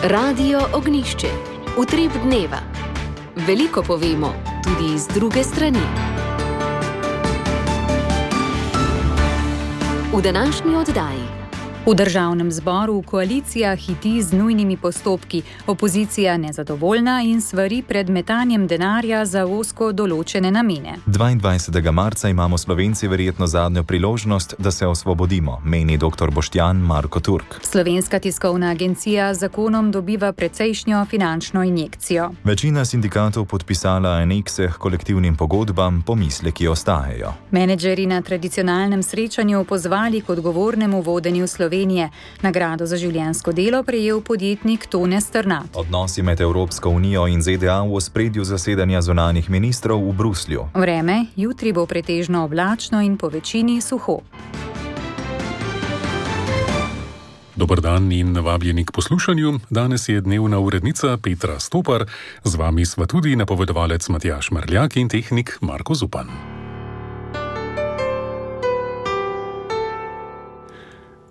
Radio Ognjišče. Utrip dneva. Veliko povemo, tudi iz druge strani. V današnji oddaji. V državnem zboru koalicija hiti z nujnimi postopki, opozicija nezadovoljna in svari pred metanjem denarja za ozko določene namene. 22. marca imamo Slovenci verjetno zadnjo priložnost, da se osvobodimo, meni dr. Boštjan Marko Turk. Slovenska tiskovna agencija z zakonom dobiva precejšnjo finančno injekcijo. Večina sindikatov podpisala anekse k kolektivnim pogodbam, pomisleki ostajajo. Menedžerji na tradicionalnem srečanju pozvali k odgovornemu vodenju Slovenije. Nagrado za življenjsko delo prejel podjetnik Tone Strnad. Odnosi med Evropsko unijo in ZDA v ospredju zasedanja zunanjih ministrov v Bruslju. Vreme, jutri bo pretežno oblačno in po večini suho. Dober dan in vabljeni k poslušanju. Danes je dnevna urednica Petra Stopar, z vami sva tudi napovedovalec Matjaž Merljak in tehnik Marko Zupan.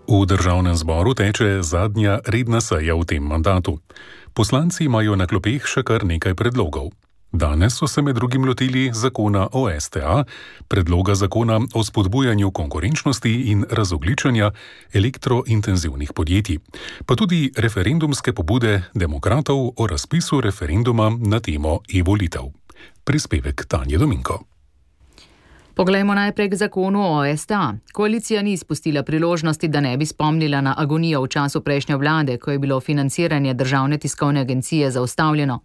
V državnem zboru teče zadnja redna seja v tem mandatu. Poslanci imajo na klopeh še kar nekaj predlogov. Danes so se med drugim lotili zakona o STA, predloga zakona o spodbujanju konkurenčnosti in razogljičenja elektrointenzivnih podjetij, pa tudi referendumske pobude demokratov o razpisu referenduma na temo e-volitev. Prispevek Tanje Dominko. Poglejmo najprej k zakonu o STA. Koalicija ni izpustila priložnosti, da ne bi spomnila na agonijo v času prejšnje vlade, ko je bilo financiranje državne tiskovne agencije zaustavljeno.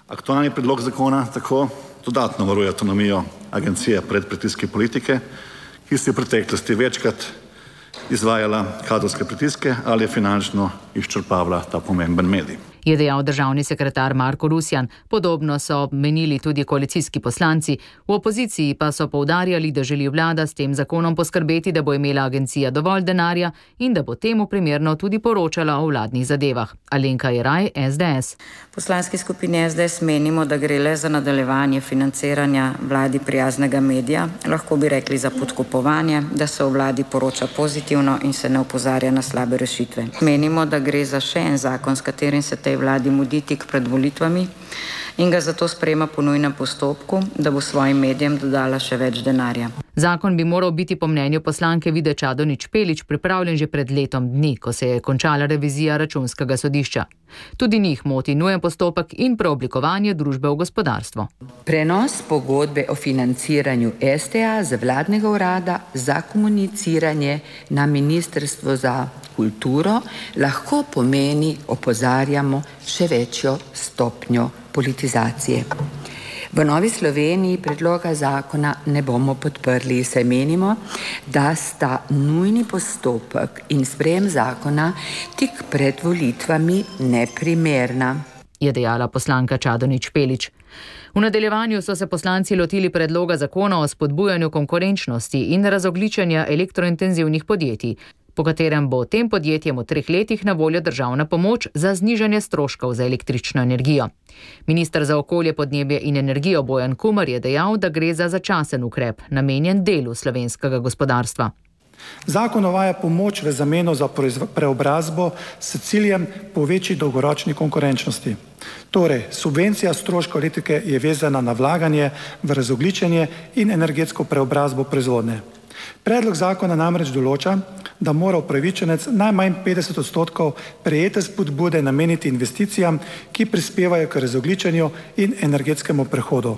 Aktualni predlog zakona tako dodatno varuje avtonomijo agencije pred pritiski politike, ki si v preteklosti večkrat izvajala kadrovske pritiske ali finančno izčrpavala ta pomemben medij. Je dejal državni sekretar Marko Rusjan. Podobno so menili tudi koalicijski poslanci. V opoziciji pa so poudarjali, da želi vlada s tem zakonom poskrbeti, da bo imela agencija dovolj denarja in da bo temu primerno tudi poročala o vladnih zadevah. Alenka Jeraj, SDS. V poslanski skupini SDS menimo, da gre le za nadaljevanje financiranja vladi prijaznega medija. Lahko bi rekli za podkupovanje, da se o vladi poroča pozitivno in se ne opozarja na slabe rešitve. Menimo, da gre za še en zakon, s katerim se tej vladi mudi tik pred volitvami in ga zato sprejema po nujnem postopku, da bo svojim medijem dodala še več denarja. Zakon bi moral biti po mnenju poslanke Vide Čadonič Špelič pripravljen že pred letom dni, ko se je končala revizija Računskega sodišča. Tudi njih moti nujen postopek in preoblikovanje družbe v gospodarstvo. Prenos pogodbe o financiranju STA z vladnega urada za komuniciranje na Ministrstvo za kulturo lahko pomeni, opozarjamo, še večjo stopnjo politizacije. V Novi Sloveniji predloga zakona ne bomo podprli, saj menimo, da sta nujni postopek in sprejem zakona tik pred volitvami neprimerna, je dejala poslanka Čadonič Špelič. V nadaljevanju so se poslanci lotili predloga zakona o spodbujanju konkurenčnosti in razogljičenja elektrointenzivnih podjetij, po katerem bo tem podjetjem v 3 letih na voljo državna pomoč za znižanje stroškov za električno energijo. Minister za okolje, podnebje in energijo Bojan Kumer je dejal, da gre za začasen ukrep, namenjen delu slovenskega gospodarstva. Zakon uvaja pomoč v zameno za preobrazbo s ciljem po večji dolgoročni konkurenčnosti. Torej, subvencija stroškov elektrike je vezana na vlaganje v razogljičenje in energetsko preobrazbo proizvodnje. Predlog zakona namreč določa, da mora upravičenec najmanj 50% prejete spodbude nameniti investicijam, ki prispevajo k razogljičenju in energetskemu prehodu.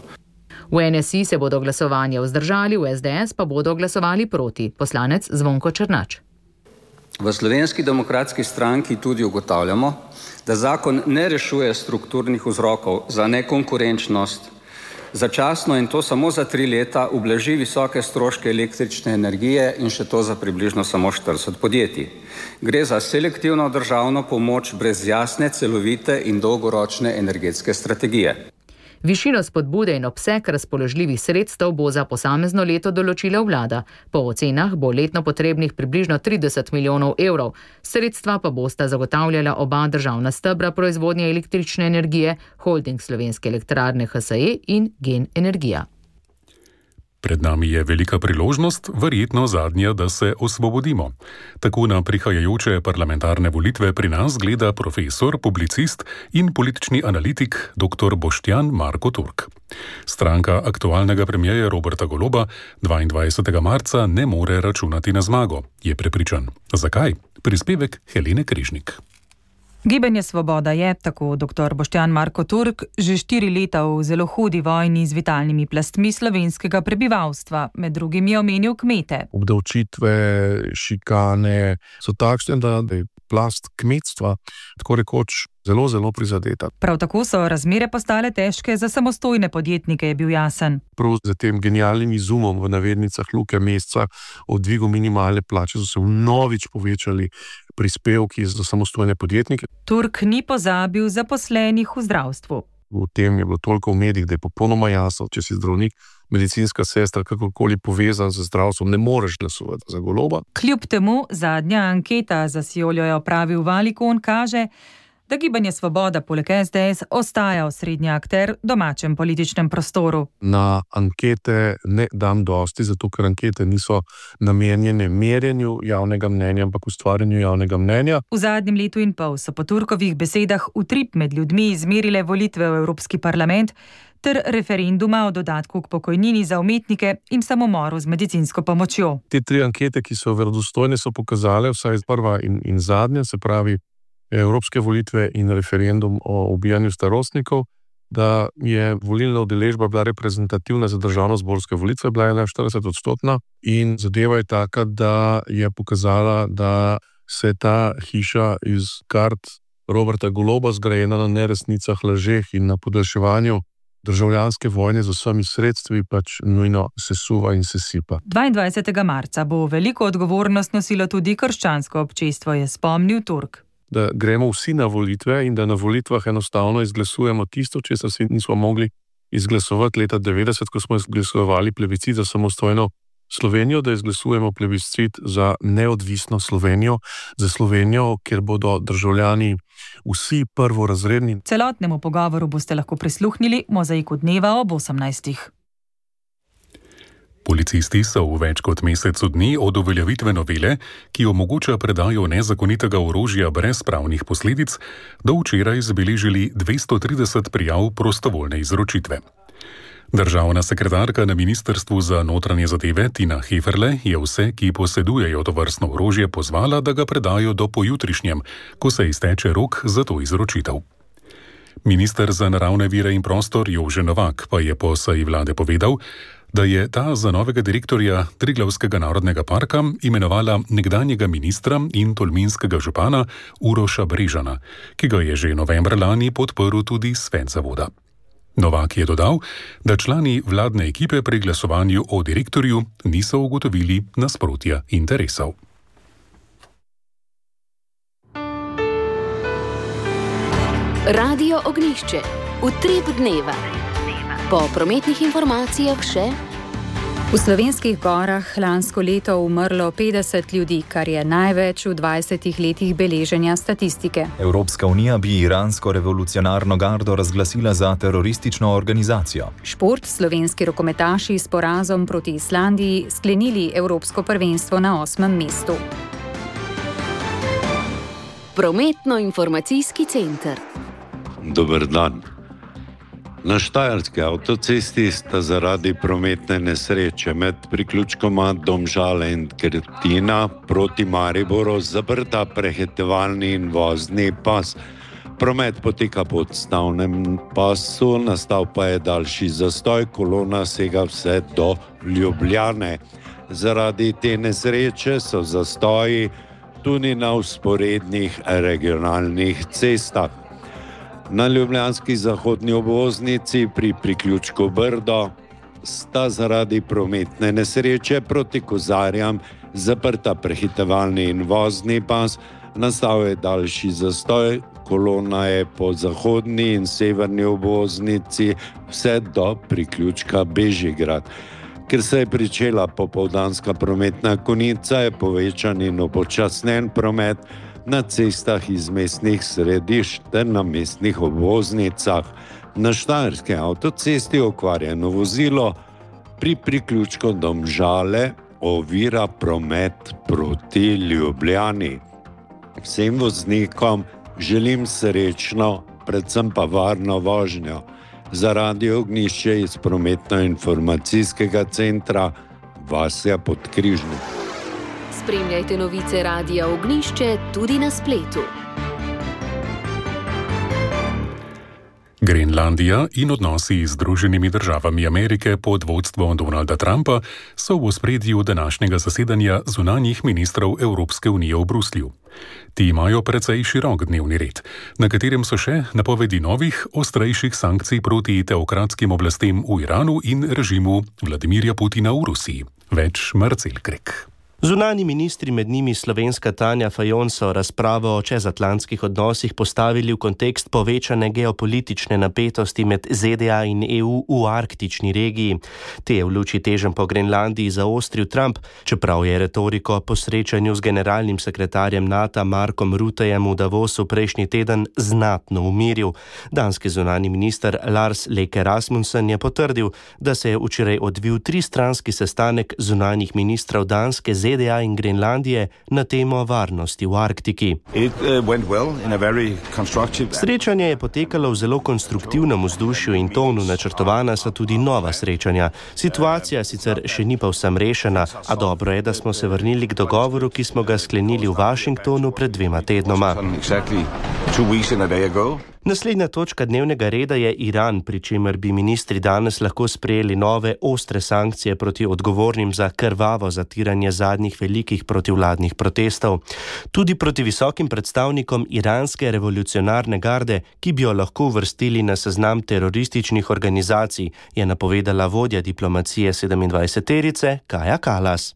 V NSI se bodo glasovanja vzdržali, v SDS pa bodo glasovali proti. Poslanec Zvonko Černač. V Slovenski demokratski stranki tudi ugotavljamo, da zakon ne rešuje strukturnih vzrokov za nekonkurenčnost, začasno in to samo za 3 leta ublaži visoke stroške električne energije in še to za približno samo 40 podjetij. Gre za selektivno državno pomoč brez jasne, celovite in dolgoročne energetske strategije. Višino spodbude in obseg razpoložljivih sredstev bo za posamezno leto določila vlada. Po ocenah bo letno potrebnih približno 30 milijonov evrov. Sredstva pa bosta zagotavljala oba državna stebra proizvodnje električne energije, Holding Slovenske elektrarne HSE in Gen Energija. Pred nami je velika priložnost, verjetno zadnja, da se osvobodimo. Tako na prihajajoče parlamentarne volitve pri nas gleda profesor, publicist in politični analitik dr. Boštjan Marko Turk. Stranka aktualnega premierja Roberta Goloba 22. marca ne more računati na zmago, je prepričan. Zakaj? Prispevek Helene Križnik. Gibanje Svoboda je, tako dr. Boštjan Marko Turk, že 4 leta v zelo hudi vojni z vitalnimi plastmi slovenskega prebivalstva. Med drugim je omenil kmete. Obdavčitve, šikane so takšne, da je plast kmetstva tako rekoč zelo prizadeta. Prav tako so razmere postale težke za samostojne podjetnike, je bil jasen. Prav za tem genialnim izumom v navednicah Luke Mesca o dvigu minimalne plače so se vnovič povečali prispevki za samostojne podjetnike. Turk ni pozabil zaposlenih v zdravstvu. V tem je bilo toliko v medijih, da je popolnoma jasno, če si zdravnik, medicinska sestra, kakorkoli povezan z zdravstvom, ne moreš glasovati za Goloba. Kljub temu zadnja anketa za Sioljo je opravil Valikon, kaže, da Gibanje Svoboda poleg SDS ostaja osrednji akter v domačem političnem prostoru. Na ankete ne dam dosti, zato ker ankete niso namenjene merjenju javnega mnenja, ampak ustvarjanju javnega mnenja. V zadnjem letu in pol so po Turkovih besedah utrip med ljudmi izmerile volitve v Evropski parlament ter referenduma o dodatku k pokojnini za umetnike in samomoru z medicinsko pomočjo. Te 3 ankete, ki so verodostojne, so pokazale, vsaj prva in zadnja, se pravi evropske volitve in referendum o ubijanju starostnikov, da je volilna udeležba bila reprezentativna za državnozborske volitve, bila je 41% in zadeva je taka, da je pokazala, da se ta hiša iz kart Roberta Goloba, zgrajena na neresnicah, lažeh in na podaljševanju državljanske vojne z vsemi sredstvi, pač nujno sesuva in sesipa. 22. marca bo veliko odgovornost nosilo tudi krščansko občestvo, je spomnil Turk. Da gremo vsi na volitve in da na volitvah enostavno izglasujemo tisto, česar si nismo mogli izglasovati leta 90, ko smo izglasovali plebiscit za samostojno Slovenijo, da izglasujemo plebiscit za neodvisno Slovenijo, za Slovenijo, kjer bodo državljani vsi prvorazredni. Celotnemu pogovoru boste lahko prisluhnili v Mozaiku dneva ob 18. Policisti so v več kot mesecu dni od uveljavitve novele, ki omogoča predajo nezakonitega orožja brez pravnih posledic, do včeraj zabeležili 230 prijav prostovoljne izročitve. Državna sekretarka na Ministrstvu za notranje zadeve Tina Heferle je vse, ki posedujejo tovrstno orožje, pozvala, da ga predajo do pojutrišnjem, ko se izteče rok za to izročitev. Minister za naravne vire in prostor Jože Novak pa je po seji vlade povedal, da je ta za novega direktorja Triglavskega narodnega parka imenovala nekdanjega ministra in tolminskega župana Uroša Brežana, ki ga je že novembra lani podprl tudi svet zavoda. Novak je dodal, da člani vladne ekipe pri glasovanju o direktorju niso ugotovili nasprotja interesov. Radio Ognjišče. Utrip dneva. Po prometnih informacijah še. V slovenskih gorah lansko leto umrlo 50 ljudi, kar je največ v 20 letih beleženja statistike. Evropska unija bi iransko revolucionarno gardo razglasila za teroristično organizacijo. Šport, slovenski rokometaši s porazom proti Islandiji sklenili evropsko prvenstvo na 8. mestu. Prometno-informacijski center. Dober dan. Na štajerski avtocesti sta zaradi prometne nesreče med priključkoma Domžale in Krtina proti Mariboru zaprta prehitevalni in vozni pas. Promet poteka po odstavnem pasu, nastal pa je daljši zastoj, kolona sega vse do Ljubljane. Zaradi te nesreče so zastoji tudi na vzporednih regionalnih cestah. Na ljubljanski zahodni obvoznici pri priključku Brdo sta zaradi prometne nesreče proti Kozarjam zaprta prehitevalni in vozni pas, nastal je daljši zastoj, kolona je po zahodni in severni obvoznici vse do priključka Bežigrad. Ker se je pričela popoldanska prometna konica, je povečan in upočasnjen promet na cestah iz mestnih središč ter na mestnih obvoznicah. Na štajerski avtocesti okvarjeno vozilo pri priključku Domžale ovira promet proti Ljubljani. Vsem voznikom želim srečno, predvsem pa varno vožnjo. Za Radio Ognjišče iz prometno-informacijskega centra Vasja Podkrižnik. Spremljajte novice Radia Ognjišče tudi na spletu. Grenlandija in odnosi z Združenimi državami Amerike pod vodstvom Donalda Trumpa so v ospredju današnjega zasedanja zunanjih ministrov Evropske unije v Bruslju. Ti imajo precej širok dnevni red, na katerem so še napovedi novih, ostrejših sankcij proti teokratskim oblastem v Iranu in režimu Vladimirja Putina v Rusiji. Več Marcel Krek. Zunanji ministri, med njimi slovenska Tanja Fajon, so razpravo o čezatlantskih odnosih postavili v kontekst povečane geopolitične napetosti med ZDA in EU v arktični regiji. Te je v luči teženj po Grenlandiji zaostril Trump, čeprav je retoriko po srečanju z generalnim sekretarjem NATO Markom Ruttejem v Davosu prejšnji teden znatno umiril. Danski zunanji minister Lars Løkke Rasmussen je potrdil, da se je včeraj odvil tristranski sestanek zunanjih ministrov Danske, ZDA in Grenlandije na temo varnosti v Arktiki. Srečanje je potekalo v zelo konstruktivnem vzdušju in tonu, načrtovana so tudi nova srečanja. Situacija sicer še ni povsem rešena, a dobro je, da smo se vrnili k dogovoru, ki smo ga sklenili v Washingtonu pred 2 tednoma. Naslednja točka dnevnega reda je Iran, pri čemer bi ministri danes lahko sprejeli nove ostre sankcije proti odgovornim za krvavo zatiranje zadnjih velikih protivladnih protestov. Tudi proti visokim predstavnikom iranske revolucionarne garde, ki bi jo lahko uvrstili na seznam terorističnih organizacij, je napovedala vodja diplomacije 27-terice Kaja Kallas.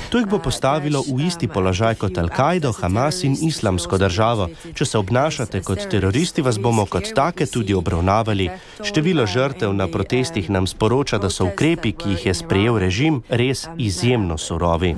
To jih bo postavilo v isti položaj kot Al-Kaido, Hamas in Islamsko državo. Če se obnašate kot teroristi, vas bomo kot take tudi obravnavali. Število žrtev na protestih nam sporoča, da so ukrepi, ki jih je sprejel režim, res izjemno surovi.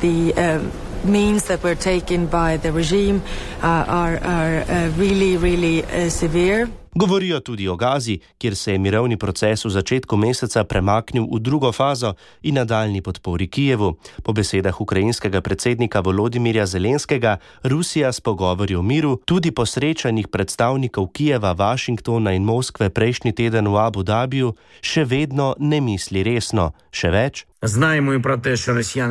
Govorijo tudi o Gazi, kjer se je mirovni proces v začetku meseca premaknil v drugo fazo in nadaljnji podpori Kijevu. Po besedah ukrajinskega predsednika Volodimirja Zelenskega, Rusija s pogovori o miru tudi po srečanjih predstavnikov Kijeva, Washingtona in Moskve prejšnji teden v Abu Dhabiju še vedno ne misli resno. Še več?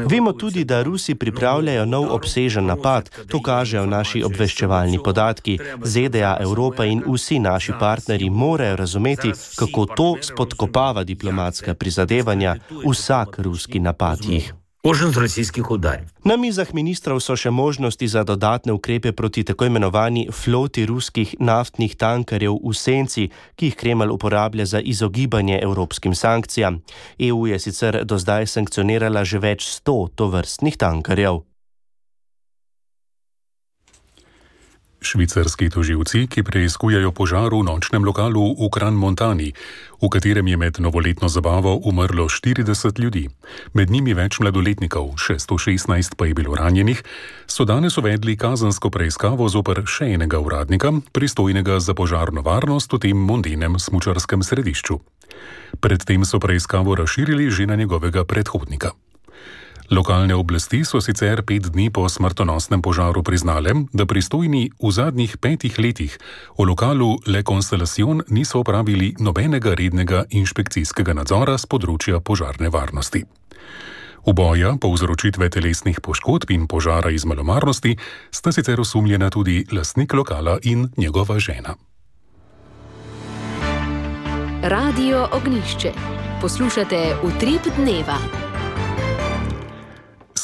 Vemo tudi, da Rusi pripravljajo nov obsežen napad. To kažejo naši obveščevalni podatki. ZDA, Evropa in vsi naši partnerji morajo razumeti, kako to spodkopava diplomatska prizadevanja. Vsak ruski napad jih. Na mizah ministrov so še možnosti za dodatne ukrepe proti tako imenovani floti ruskih naftnih tankerjev v senci, ki jih Kremelj uporablja za izogibanje evropskim sankcijam. EU je sicer do zdaj sankcionirala že več 100 tovrstnih tankerjev. Švicarski tožilci, ki preiskujejo požar v nočnem lokalu v Crans-Montani, v katerem je med novoletno zabavo umrlo 40 ljudi, med njimi več mladoletnikov, 616 pa je bilo ranjenih, so danes uvedli kazensko preiskavo zoper še enega uradnika, pristojnega za požarno varnost v tem mondenem smučarskem središču. Predtem so preiskavo razširili že na njegovega predhodnika. Lokalne oblasti so sicer 5 dni po smrtonosnem požaru priznale, da pristojni v zadnjih 5 letih v lokalu Le Constellation niso opravili nobenega rednega inšpekcijskega nadzora z področja požarne varnosti. Uboja, povzročitve telesnih poškodb in požara iz malomarnosti sta sicer osumljena tudi lastnik lokala in njegova žena. Radio Ognjišče. Poslušate Utrip dneva.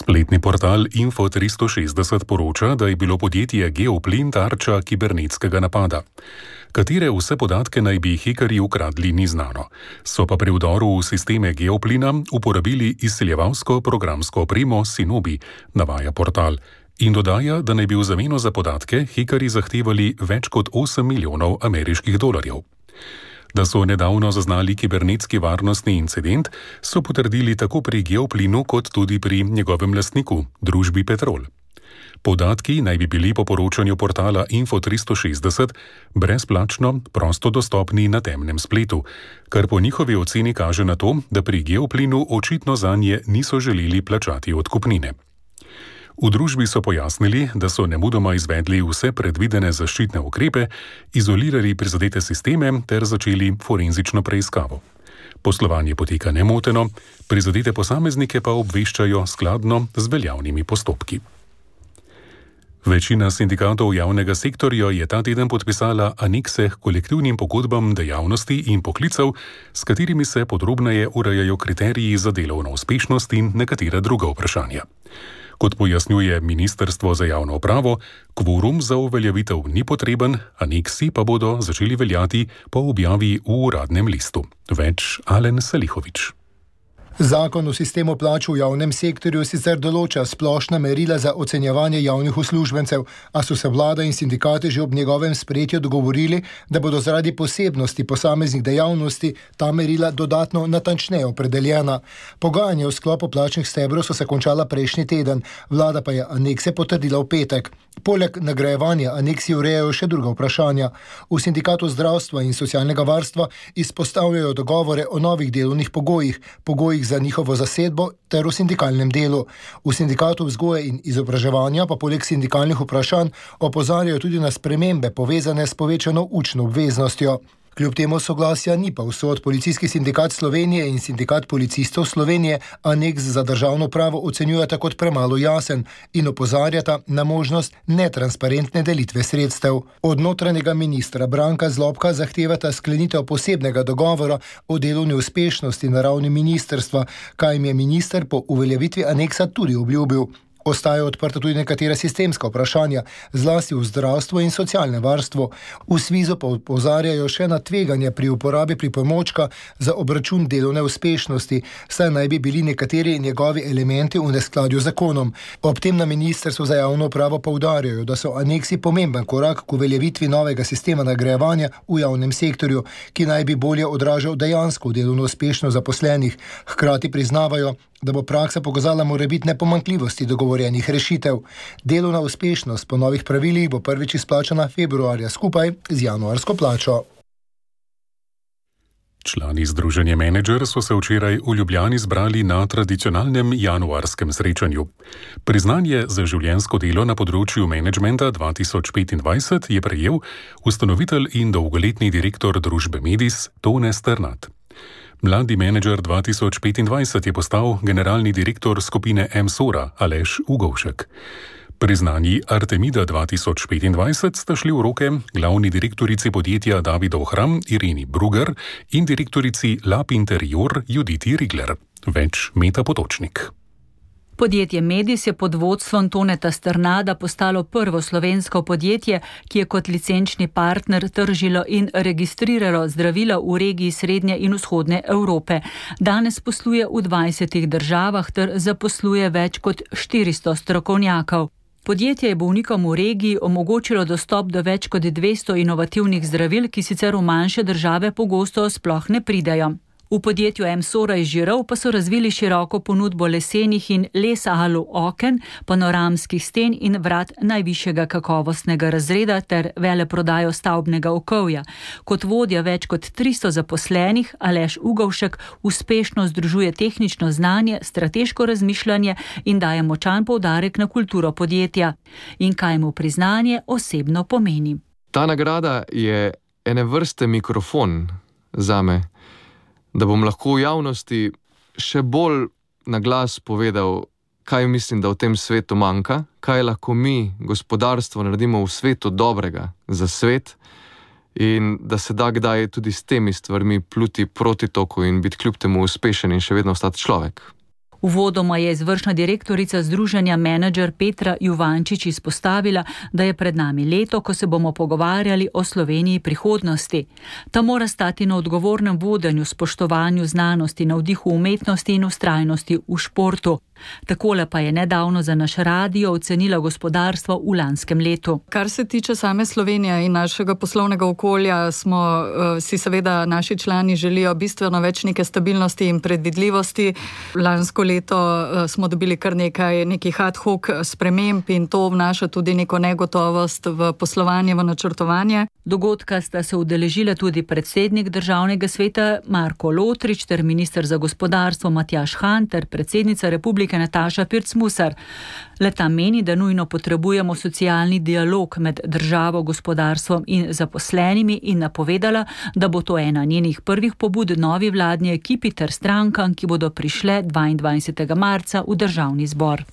Spletni portal Info360 poroča, da je bilo podjetje Geoplin tarča kibernetskega napada. Katere vse podatke naj bi hekerji ukradli, ni znano. So pa pri vdoru v sisteme Geoplina uporabili izsiljevalsko programsko opremo Sinobi, navaja portal. In dodaja, da naj bi v zameno za podatke hekerji zahtevali več kot 8 milijonov ameriških dolarjev. Da so nedavno zaznali kibernetski varnostni incident, so potrdili tako pri Geoplinu kot tudi pri njegovem lastniku, družbi Petrol. Podatki naj bi bili po poročanju portala Info360 brezplačno, prosto dostopni na temnem spletu, kar po njihovi oceni kaže na to, da pri Geoplinu očitno zanje niso želeli plačati odkupnine. V družbi so pojasnili, da so nemudoma izvedli vse predvidene zaščitne ukrepe, izolirali prizadete sisteme ter začeli forenzično preiskavo. Poslovanje poteka nemoteno, prizadete posameznike pa obveščajo skladno z veljavnimi postopki. Večina sindikatov javnega sektorja je ta teden podpisala anekse k kolektivnim pogodbam dejavnosti in poklicev, s katerimi se podrobneje urejajo kriteriji za delovno uspešnost in nekatera druga vprašanja. Kot pojasnjuje Ministrstvo za javno upravo, kvorum za uveljavitev ni potreben, aneksi pa bodo začeli veljati po objavi v uradnem listu. Več Alen Salihovič. Zakon o sistemu plač v javnem sektorju sicer določa splošna merila za ocenjevanje javnih uslužbencev, a so se vlada in sindikati že ob njegovem sprejetju dogovorili, da bodo zaradi posebnosti posameznih dejavnosti ta merila dodatno natančneje opredeljena. Pogajanja v sklopu plačnih stebrov so se končala prejšnji teden, vlada pa je anekse potrdila v petek. Poleg nagrajevanja aneksi urejajo še druga vprašanja. V sindikatu zdravstva in socialnega varstva izpostavljajo dogovore o novih delovnih pogojih za njihovo zasedbo ter v sindikalnem delu. V sindikatu vzgoje in izobraževanja pa poleg sindikalnih vprašanj opozarjajo tudi na spremembe povezane s povečano učno obveznostjo. Kljub temu soglasja ni pa vsod. Policijski sindikat Slovenije in sindikat policistov Slovenije aneks za državno pravo ocenjujeta kot premalo jasen in opozarjata na možnost netransparentne delitve sredstev. Od notranjega ministra Branka Zlobka zahtevata sklenitev posebnega dogovora o delovni uspešnosti na ravni ministrstva, kaj jim je minister po uveljavitvi aneksa tudi obljubil. Ostajajo odprta tudi nekatera sistemska vprašanja, zlasti v zdravstvu in socialnem varstvu. V SVIZ-u pa opozarjajo še na tveganje pri uporabi pripomočka za obračun delovne uspešnosti, saj naj bi bili nekateri njegovi elementi v neskladju z zakonom. Ob tem na Ministrstvu za javno upravo poudarjajo, da so aneksi pomemben korak k uveljavitvi novega sistema nagrajevanja v javnem sektorju, ki naj bi bolje odražal dejansko delovno uspešnost zaposlenih. Hkrati priznavajo, da bo praksa pokazala morebitne pomanjkljivosti dogovorjenih rešitev. Delovna uspešnost po novih pravilih bo prvič izplačana februarja skupaj z januarsko plačo. Člani Združenja Menedžer so se včeraj v Ljubljani zbrali na tradicionalnem januarskem srečanju. Priznanje za življenjsko delo na področju menedžmenta 2025 je prejel ustanovitelj in dolgoletni direktor družbe Medis Tone Sternat. Mladi menedžer 2025 je postal generalni direktor skupine MSORA Aleš Ugovšek. Priznanji Artemida 2025 sta šli v roke glavni direktorici podjetja Davidov Hram Irini Bruger in direktorici Lab Interior Juditi Rigler. Več Meta Potočnik. Podjetje Medis je pod vodstvom Toneta Sternada postalo prvo slovensko podjetje, ki je kot licenčni partner tržilo in registriralo zdravila v regiji Srednje in Vzhodne Evrope. Danes posluje v 20 državah ter zaposluje več kot 400 strokovnjakov. Podjetje je bolnikom v regiji omogočilo dostop do več kot 200 inovativnih zdravil, ki sicer v manjše države pogosto sploh ne pridejo. V podjetju MSORA iz Žirov pa so razvili široko ponudbo lesenih in les-alu oken, panoramskih sten in vrat najvišjega kakovostnega razreda ter veleprodajo stavbnega okovja. Kot vodja več kot 300 zaposlenih, Aleš Ugovšek uspešno združuje tehnično znanje, strateško razmišljanje in daje močan poudarek na kulturo podjetja. In kaj mu priznanje osebno pomeni? Ta nagrada je ene vrste mikrofon zame, da bom lahko v javnosti še bolj na glas povedal, kaj mislim, da v tem svetu manjka, kaj lahko mi, gospodarstvo, naredimo v svetu dobrega za svet in da se da kdaj tudi s temi stvarmi pluti proti toku in biti kljub temu uspešen in še vedno ostati človek. Uvodoma je izvršna direktorica Združenja Menedžer Petra Juvančič izpostavila, da je pred nami leto, ko se bomo pogovarjali o Sloveniji prihodnosti. Ta mora stati na odgovornem vodenju, spoštovanju znanosti, navdihu umetnosti in vztrajnosti v športu. Takole pa je nedavno za naš radio ocenila gospodarstvo v lanskem letu. Kar se tiče same Slovenije in našega poslovnega okolja, smo si seveda naši člani želijo bistveno več neke stabilnosti in predvidljivosti. Lansko leto smo dobili kar nekih ad hoc sprememb in to vnaša tudi neko negotovost v poslovanje, v načrtovanje. Dogodka sta se udeležila tudi predsednik Državnega sveta Marko Lotrič ter minister za gospodarstvo Matjaž Han ter predsednica Republike Nataša Pirc-Musar. Le-ta meni, da nujno potrebujemo socialni dialog med državo, gospodarstvom in zaposlenimi in napovedala, da bo to ena njenih prvih pobud novi vladni ekipi ter strankam, ki bodo prišle 22. marca v Državni zbor.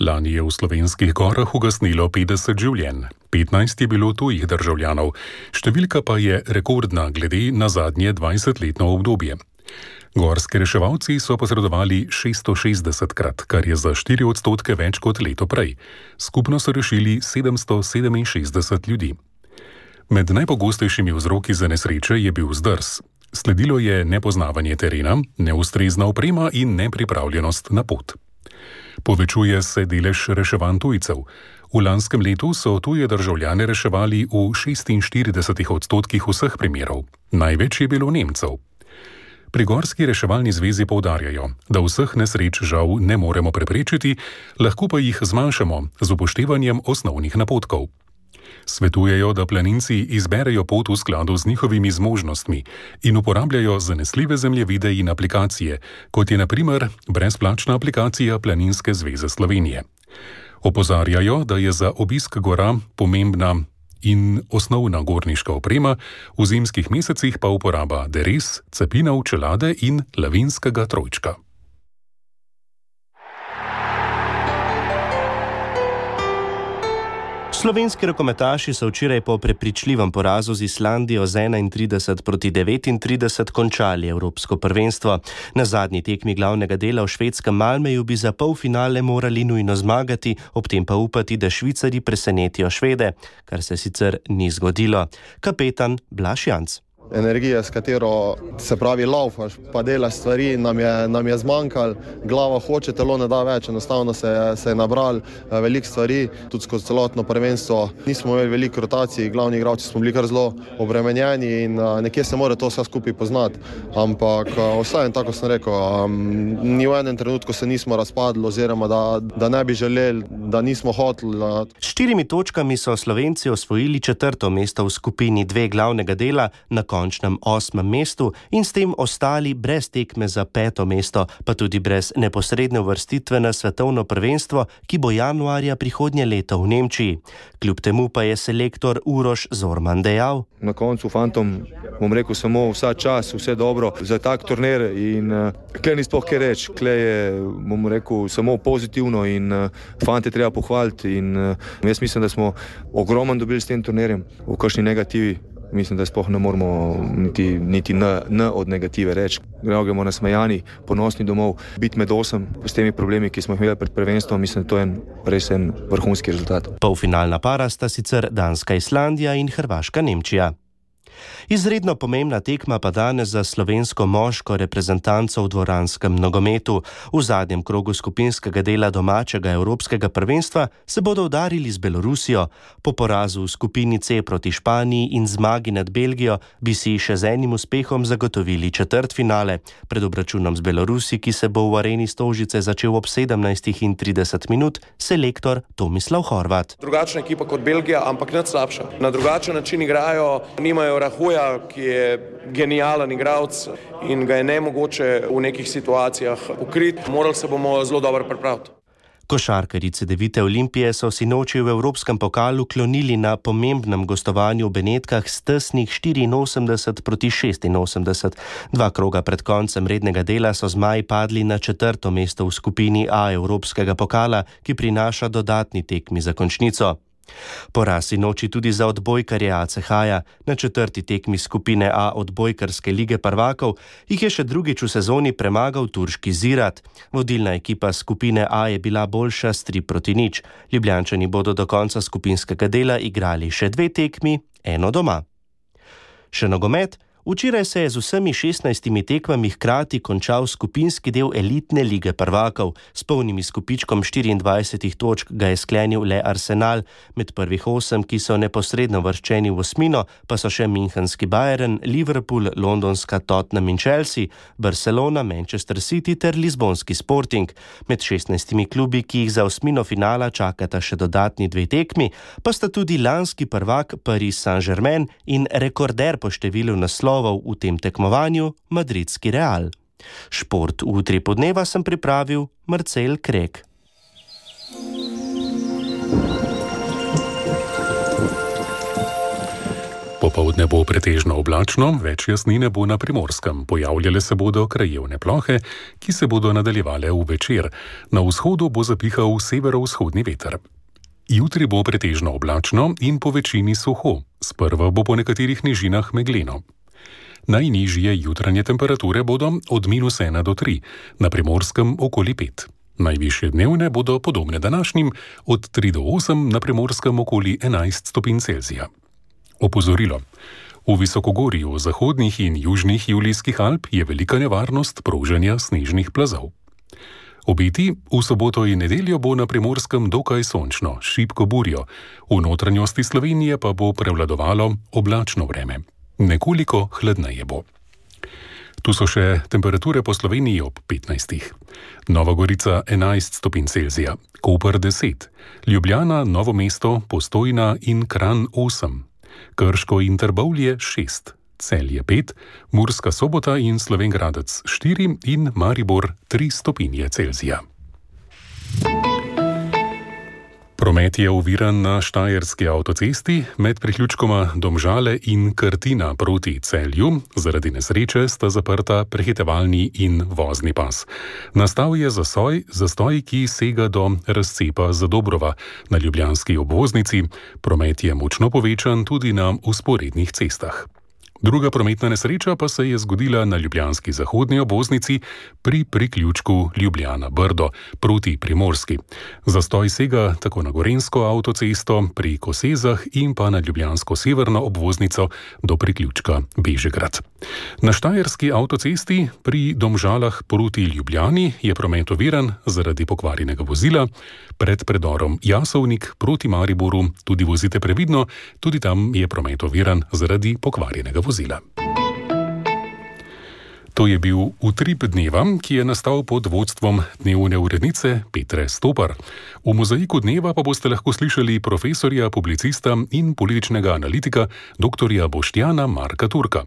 Lani je v Slovenskih gorah ugasnilo 50 življenj, 15 je bilo tujih državljanov, številka pa je rekordna glede na zadnje 20-letno obdobje. Gorski reševalci so posredovali 660krat, kar je za 4% več kot leto prej. Skupno so rešili 767 ljudi. Med najpogostejšimi vzroki za nesreče je bil zdrs. Sledilo je nepoznavanje terena, neustrezna oprema in nepripravljenost na pot. Povečuje se delež reševanj tujcev. V lanskem letu so tuje državljane reševali v 46% vseh primerov. Največ je bilo Nemcev. Pri Gorski reševalni zvezi poudarjajo, da vseh nesreč žal ne moremo preprečiti, lahko pa jih zmanjšamo z upoštevanjem osnovnih napotkov. Svetujejo, da planinci izberejo pot v skladu z njihovimi zmožnostmi in uporabljajo zanesljive zemljevide in aplikacije, kot je na primer brezplačna aplikacija Planinske zveze Slovenije. Opozarjajo, da je za obisk gora pomembna in osnovna gorniška oprema, v zimskih mesecih pa uporaba deres, cepinov, čelade in lavinskega trojčka. Slovenski rokometaši so včeraj po prepričljivem porazu z Islandijo z 31-39 končali evropsko prvenstvo. Na zadnji tekmi glavnega dela v švedskem Malmeju bi za polfinale morali nujno zmagati, ob tem pa upati, da Švicarji presenetijo Švede, kar se sicer ni zgodilo. Kapetan Blaž Janc. Energija, s katero se pravi laufaš, pa delaš stvari, nam je zmanjkalo, glava hoče, telo ne da več, enostavno se je nabral veliko stvari, tudi skozi celotno prvenstvo. Nismo imeli veliko rotacij, glavni igralci smo bili kar zelo obremenjeni in nekje se mora to vse skupaj poznati. Ampak vsaj tako sem rekel, ni v enem trenutku se nismo razpadli oziroma da ne bi želeli, da nismo hoteli. S 4 točkami so Slovenci osvojili 4. mesto v skupini 2 glavnega dela, na končnem 8. mestu in s tem ostali brez tekme za 5. mesto, pa tudi brez neposredne uvrstitve na svetovno prvenstvo, ki bo januarja prihodnje leto v Nemčiji. Kljub temu pa je selektor Uroš Zorman dejal: Na koncu fantom bom rekel samo vsa čas, vse dobro za tak turnir in kle ni sploh kaj reči, kle je, bom rekel, samo pozitivno in fante treba pohvaliti in jaz mislim, da smo ogromno dobili s tem turnirjem. V kakšni negativi mislim, da sploh ne moramo niti n od negative reči. Gremo nasmejani, ponosni domov, biti med 8 s temi problemi, ki smo jih imeli pred prvenstvom, mislim, da to je res en vrhunski rezultat. Polfinalna para sta sicer Danska-Islandija in Hrvaška-Nemčija. Izredno pomembna tekma pa danes za slovensko moško reprezentanco v dvoranskem nogometu. V zadnjem krogu skupinskega dela domačega evropskega prvenstva se bodo udarili z Belorusijo. Po porazu v skupini C proti Španiji in zmagi nad Belgijo bi si še z enim uspehom zagotovili četrtfinale. Pred obračunom z Belorusi, ki se bo v areni Stožice začel ob 17:30, selektor Tomislav Horvat. Drugačna ekipa kot Belgija, ampak nič slabša. Na drugačen način igrajo, nimajo Rahuja, ki je genijalen igralec in ga je nemogoče v nekih situacijah pokriti. Morali se bomo zelo dobro pripraviti. Košarkarice Devite Olimpije so sinoči v Evropskem pokalu klonili na pomembnem gostovanju v Benetkah s tesnih 84-86. 2 kroga pred koncem rednega dela so zmaji padli na 4. mesto v skupini A Evropskega pokala, ki prinaša dodatni tekmi za končnico. Poraz sinoči tudi za odbojkarje ACH-ja. Na 4. tekmi skupine A odbojkarske lige prvakov jih je še drugič v sezoni premagal turški Zirat. Vodilna ekipa skupine A je bila boljša s 3-0. Ljubljančani bodo do konca skupinskega dela igrali še 2 tekmi, eno doma. Še nogomet. Včeraj se je z vsemi 16 tekmami hkrati končal skupinski del elitne lige prvakov. S polnim izkupičkom 24 točk ga je sklenil le Arsenal. Med prvih 8, ki so neposredno vrščeni v osmino, pa so še münchenski Bayern, Liverpool, londonska Tottenham in Chelsea, Barcelona, Manchester City ter lizbonski Sporting. Med 16 klubi, ki jih za osmino finala čakata še dodatni 2 tekmi, pa sta tudi lanski prvak Paris Saint-Germain in rekorder po številu naslovov v tem tekmovanju madridski Real. Šport v Utripu dneva sem pripravil Marcel Krek. Popoldne bo pretežno oblačno, več jasnine bo na Primorskem. Pojavljale se bodo krajevne plohe, ki se bodo nadaljevale v večer. Na vzhodu bo zapihal severovzhodni veter. Jutri bo pretežno oblačno in po večini suho. Sprva bo po nekaterih nižinah megleno. Najnižje jutranje temperature bodo od -1 do 3, na Primorskem okoli 5. Najvišje dnevne bodo podobne današnjim, od 3 do 8, na Primorskem okoli 11 stopinj Celzija. Opozorilo. V visokogorju zahodnih in južnih Julijskih Alp je velika nevarnost proženja snežnih plazov. Obeti v soboto in nedeljo bo na Primorskem dokaj sončno, šibko burjo. V notranjosti Slovenije pa bo prevladovalo oblačno vreme. Nekoliko hladneje bo. Tu so še temperature po Sloveniji ob 15. Nova Gorica 11 stopinj Celzija, Koper 10, Ljubljana, Novo mesto, Postojna in Kranj 8, Krško in Trbovlje 6, Celje 5, Murska Sobota in Slovenj Gradec 4 in Maribor 3 stopinje Celzija. Promet je oviran na Štajerski avtocesti med priključkoma Domžale in Krtina proti Celju. Zaradi nesreče sta zaprta prehitevalni in vozni pas. Nastal je zastoj, ki sega do razcepa Zadobrova na ljubljanski obvoznici. Promet je močno povečan tudi na vzporednih cestah. Druga prometna nesreča pa se je zgodila na ljubljanski zahodni obvoznici pri priključku Ljubljana-Brdo proti Primorski. Zastoj sega tako na Gorenjsko avtocesto pri Kosezah in pa na ljubljansko severno obvoznico do priključka Bežigrad. Na Štajerski avtocesti pri Domžalah proti Ljubljani je promet oviran zaradi pokvarjenega vozila. Pred predorom Jasovnik proti Mariboru tudi vozite previdno, tudi tam je promet oviran zaradi pokvarjenega vozila. To je bil Utrip dneva, ki je nastal pod vodstvom dnevne urednice Petre Stopar. V mozaiku dneva pa boste lahko slišali profesorja, publicista in političnega analitika dr. Boštjana Marka Turka.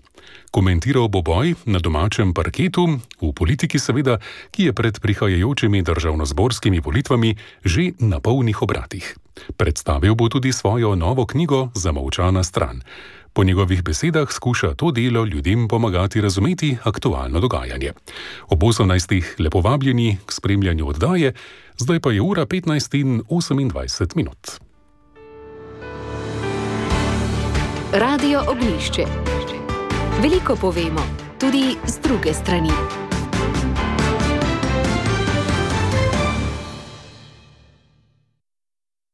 Komentiral bo boj na domačem parketu, v politiki seveda, ki je pred prihajajočimi državnozborskimi volitvami že na polnih obratih. Predstavil bo tudi svojo novo knjigo Zamolčana stran. Po njegovih besedah skuša to delo ljudem pomagati razumeti aktualno dogajanje. Ob 18. lepo vabljeni k spremljanju oddaje, zdaj pa je ura 15:28. Radio Oglišče. Veliko povemo, tudi z druge strani.